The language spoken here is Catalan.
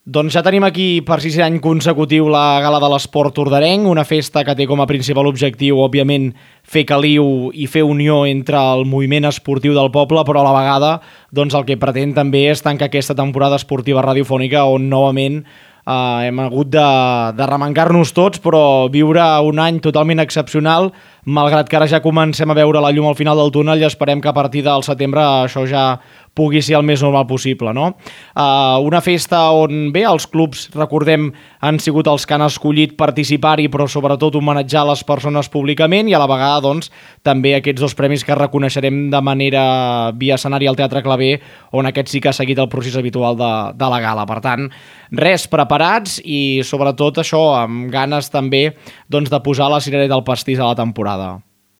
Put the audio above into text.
Doncs ja tenim aquí per 6 any consecutiu la Gala de l'Esport Tordarenc, una festa que té com a principal objectiu, òbviament, fer caliu i fer unió entre el moviment esportiu del poble, però a la vegada doncs, el que pretén també és tancar aquesta temporada esportiva radiofònica on novament hem hagut de remencar-nos tots, però viure un any totalment excepcional, malgrat que ara ja comencem a veure la llum al final del túnel i esperem que a partir del setembre això ja pugui ser el més normal possible, no? Una festa on, bé, els clubs, recordem, han sigut els que han escollit participar-hi, però sobretot homenatjar les persones públicament i a la vegada, doncs, també aquests 2 premis que reconeixerem de manera via escenari al Teatre Claver, on aquest sí que ha seguit el procés habitual de la gala. Per tant, res, preparats i sobretot això, amb ganes també doncs, de posar la cirereta del pastís a la temporada.